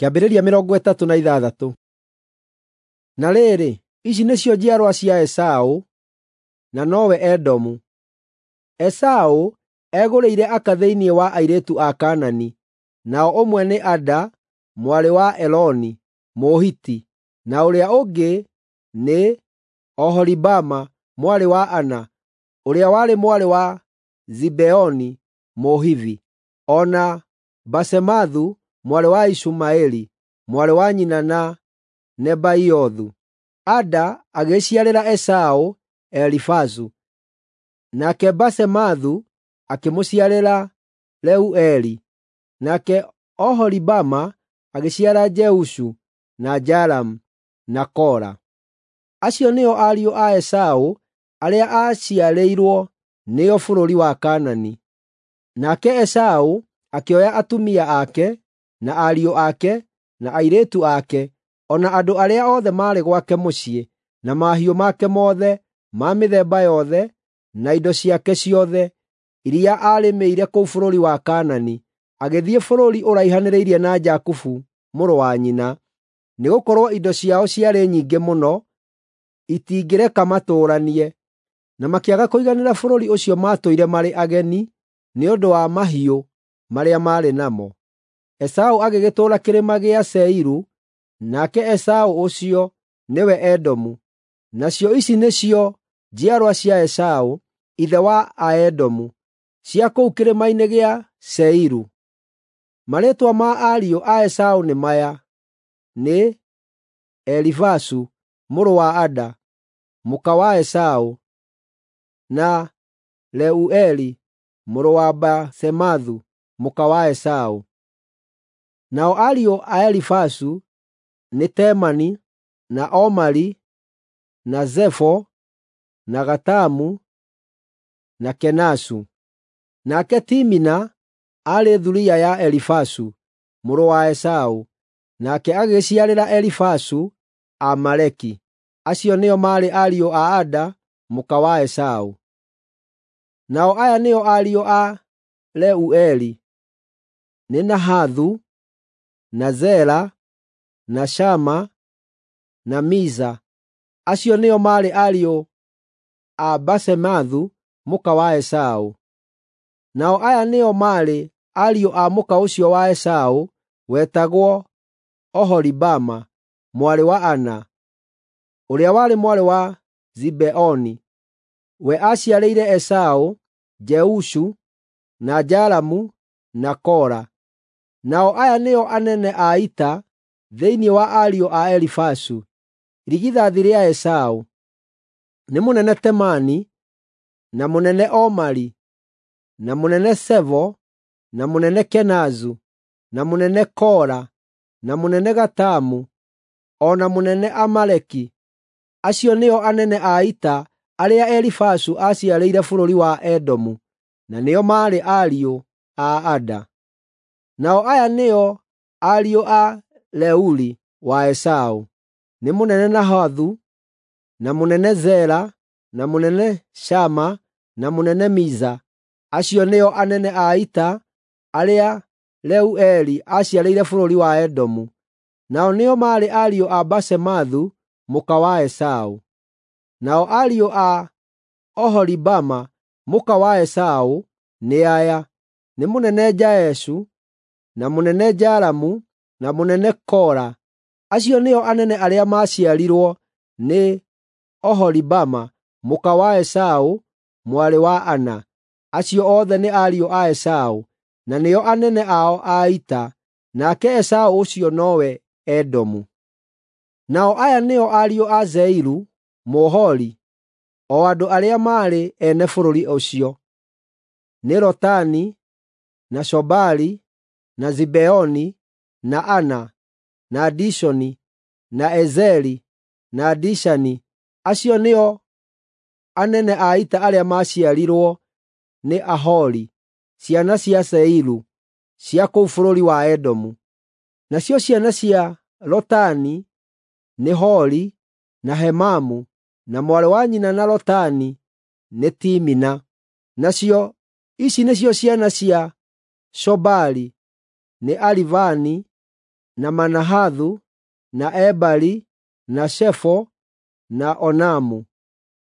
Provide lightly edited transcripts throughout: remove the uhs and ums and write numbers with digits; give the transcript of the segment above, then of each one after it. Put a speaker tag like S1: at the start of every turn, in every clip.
S1: Kĩambĩrĩria 36. Na rĩrĩ, ici nĩcio njiarwa cia Esaũ, na nowe Edomu. Esaũ egũrĩire aka thĩinĩ wa airĩtu a Kaanani, nao ũmwe nĩ Ada mwarĩ wa Eloni Mũhiti, na ũrĩa ũngĩ nĩ Oholibama mwarĩ wa Ana, ũrĩa warĩ mwarĩ wa Zibeoni Mũhivi, o na Basemathu mwarĩ wa Ishumaeli, mwarĩ wa nyina na Nebaiothu. Ada agĩciarĩra Esaũ Elifazu, nake Basemathu akĩmũciarĩra Reueli, nake Oholibama agĩciara Jeushu na Jalamu na Kora. Acio nĩo ariũ a Esaũ arĩa aaciarĩirwo nĩo bũrũri wa Kaanani. Nake Esaũ akĩoya atumia ake, na ariũ ake, na airĩtu ake, o na andũ arĩa othe maarĩ gwake mũciĩ, na mahiũ make mothe ma mĩthemba yothe, na indo ciake ciothe iria aarĩmĩire kũu bũrũri wa Kaanani, agĩthiĩ bũrũri ũraihanĩrĩirie na Jakubu mũrũ wa nyina, nĩgũkorwo indo ciao ciarĩ nyingĩ mũno, itingĩreka matũũranie. Na makĩaga kũiganĩra bũrũri ũcio maatũire marĩ ageni nĩ ũndũ wa mahiũ marĩa maarĩ namo. Esaũ agĩgĩtũũra kĩrĩma gĩa Seiru, nake Esaũ ũcio nĩwe Edomu. Nacio ici nĩcio njiarwa cia Esaũ, ithe wa Aedomu, cia kũu kĩrĩma-inĩ gĩa Seiru. Marĩĩtwa ma ariũ a Esaũ nĩ maya: nĩ Elifazu mũrũ wa Ada, mũka wa Esaũ, na Reueli mũrũ wa Basemathu, mũka wa Esaũ. Nao ariũ a Elifazu nĩ Temani, na Omari, na Zefo, na Gatamu, na Kenazu. Nake Timina aarĩ thuriya ya Elifazu mũrũ wa Esaũ, nake agĩciarĩra Elifazu Amaleki. Acio nĩo maarĩ ariũ a Ada mũka wa Esaũ. Nao aya nĩo ariũ a Reueli: nĩ Nahathu, na Zera, na Shama, na Miza. Acio nĩo maarĩ ariũ a Basemathu mũka wa Esaũ. Nao aya nĩo maarĩ ariũ a mũka ũcio wa Esaũ wetagwo Oholibama mwarĩ wa Ana, ũrĩa warĩ mwarĩ wa Zibeoni. We aaciarĩire Esaũ Jeushu, na Jalamu, na Kora. Nao aya nĩo anene a ita thĩinĩ wa ariũ a Elifazu, irigithathi rĩa Esaũ: nĩ mũnene Temani, na mũnene Omari, na mũnene Sevo, na mũnene Kenazu, na mũnene Kora, na mũnene Gatamu, o na mũnene Amaleki. Acio nĩo anene a ita arĩa Elifazu aaciarĩire bũrũri wa Edomu, na nĩo maarĩ ariũ a Ada. Nao aya nĩo ariũ a Reuli wa Esaũ: nĩ mũnene Nahathu, na mũnene Zera, na mũnene Shama, na mũnene Miza. Acio nĩo anene a ita arĩa Reueli aaciarĩire bũrũri wa Edomu. Nao nĩo maarĩ ariũ a Basemathu mũka wa Esaũ. Nao ariũ a Oholibama mũka wa Esaũ nĩ aya: nĩ mũnene Jaeshu, na mũnene Jalamu, na mũnene Kora. Acio nĩo anene arĩa maaciarirwo nĩ Oholibama mũka wa Esaũ mwarĩ wa Ana. Acio othe nĩ ariũ a Esaũ, na nĩo anene ao a ita, nake Esaũ ũcio nowe Edomu. Nao aya nĩo ariũ a Seiru Mũhori, o andũ arĩa maarĩ ene bũrũri ũcio: nĩ Lotani, na Shobali, na Zibeoni, na Ana, na Dishoni, na Ezeri, na Dishani. Acio nĩo anene a ita arĩa maaciarirwo nĩ Ahori, ciana cia Seiru, cia kũu bũrũri wa Edomu. Nacio ciana cia Lotani nĩ Hori, na Hemamu, na mwarĩ wa nyina na Lotani nĩ Timina. Nacio ici nĩcio ciana cia Shobali: nĩ Alivani, na Manahathu, na Ebali, na Shefo, na Onamu.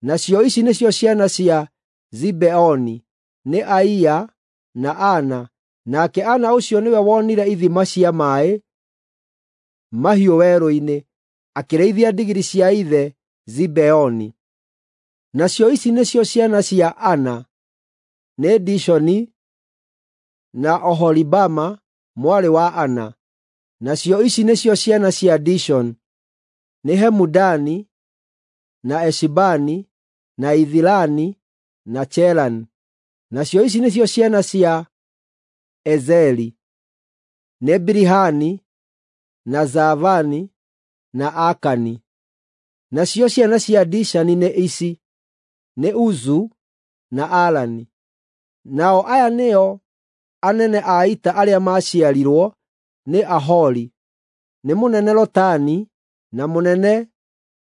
S1: Nacio ici nĩcio ciana cia Zibeoni, nĩ Aia na Ana. Nake Ana ũcio nĩwe wonire ithima cia maaĩ mahiũ werũ-inĩ, akĩrĩithia ndigiri cia ithe Zibeoni. Nacio ici nĩcio ciana cia Ana, nĩ Dishoni na Oholibama mwarĩ wa Ana. Nacio ici nĩcio ciana cia Dishoni, nĩ Hemudani, na Eshibani, na Ithirani, na Cherani. Nacio ici nĩcio ciana cia Ezeri, nĩ Bilihani, na Zaavani, na Akani. Nacio ciana cia Dishani nĩ ici, nĩ Uzu na Arani. Nao aya nĩo anene a ita arĩa maaciarirwo nĩ Ahori, nĩ mũnene Lotani, na mũnene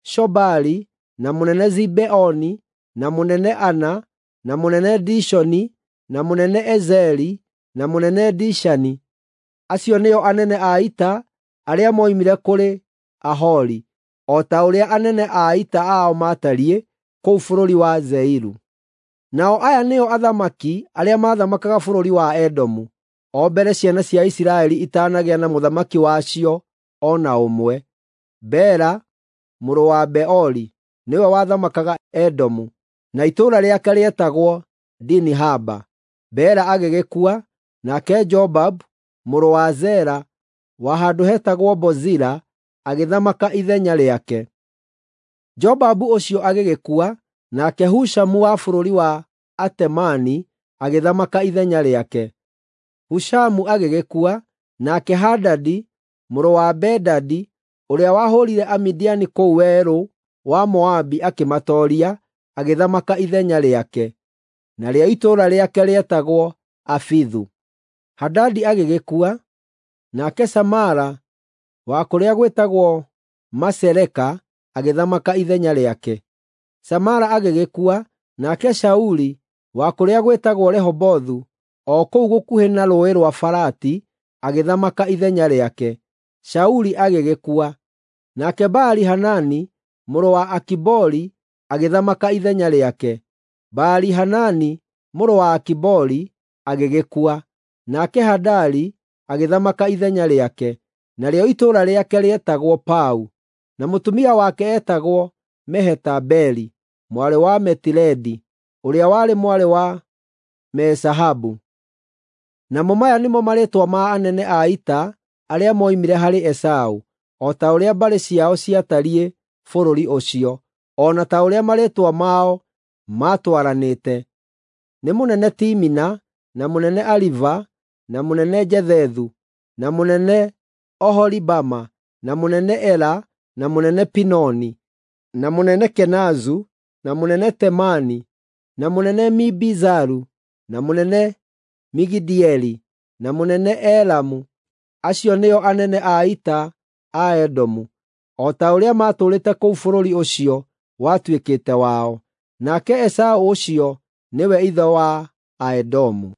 S1: Shobali, na mũnene Zibeoni, na mũnene Ana, na mũnene Dishoni, na mũnene Ezeri, na mũnene Dishani. Acio nĩo anene a ita arĩa moimire kũrĩ Ahori, o ta ũrĩa anene a ita ao maatariĩ kũu bũrũri wa Seiru. Nao aya nĩo athamaki arĩa maathamakaga bũrũri wa Edomu, o mbere ciana cia Isiraeli itanagĩa na mũthamaki wacio o na ũmwe. Bela mũrũ wa Beori nĩwe wathamakaga Edomu, na itũũra rĩake rĩetagwo Dinihaba. Bela agĩgĩkua, nake Jobabu mũrũ wa Zera wa handũ hetagwo Bozira agĩthamaka ithenya rĩake. Jobabu ũcio agĩgĩkua, nake Hushamu wa bũrũri wa Atemani agĩthamaka ithenya rĩake. Hushamu agĩgĩkua, nake Hadadi mũrũ wa Bedadi ũrĩa wahũũrire Amidiani kũu werũ wa Moabi akĩmatooria, agĩthamaka ithenya rĩake. Narĩo itũũra rĩake rĩetagwo Afithu. Hadadi agĩgĩkua, nake Samala wa kũrĩa gwĩtagwo Masereka agĩthamaka ithenya rĩake. Samala agĩgĩkua, nake Shauli wa kũrĩa gwĩtagwo Rehobothu o kũu gũkuhĩ na Rũũĩ rwa Farati agĩthamaka ithenya rĩake. Shauli agĩgĩkua, nake Baali-Hanani mũrũ wa Akibori agĩthamaka ithenya rĩake. Baali-Hanani mũrũ wa Akibori agĩgĩkua, nake Hadari agĩthamaka ithenya rĩake. Narĩo itũũra rĩake rĩetagwo Pau, na mũtumia wake eetagwo Mehetabeli mwarĩ wa Metiredi, ũrĩa warĩ mwarĩ wa Mezahabu. Namo maya nĩmo marĩĩtwa ma anene a ita arĩa moimire harĩ Esaũ, o ta ũrĩa mbarĩ ciao ciatariĩ bũrũri ũcio, o na ta ũrĩa marĩĩtwa mao maatwaranĩte: nĩ mũnene Timina, na mũnene Aliva, na mũnene Jethethu, na mũnene Oholibama, na mũnene Ela, na mũnene Pinoni, na mũnene Kenazu, na mũnene Temani, na mũnene Mibizaru, na mũnene Migidieli, na mũnene Elamu. Acio nĩo anene a ita a Edomu, o ta ũrĩa maatũũrĩte kũu bũrũri ũcio watuĩkĩte wao. Nake Esaũ ũcio nĩwe ithe wa Aedomu.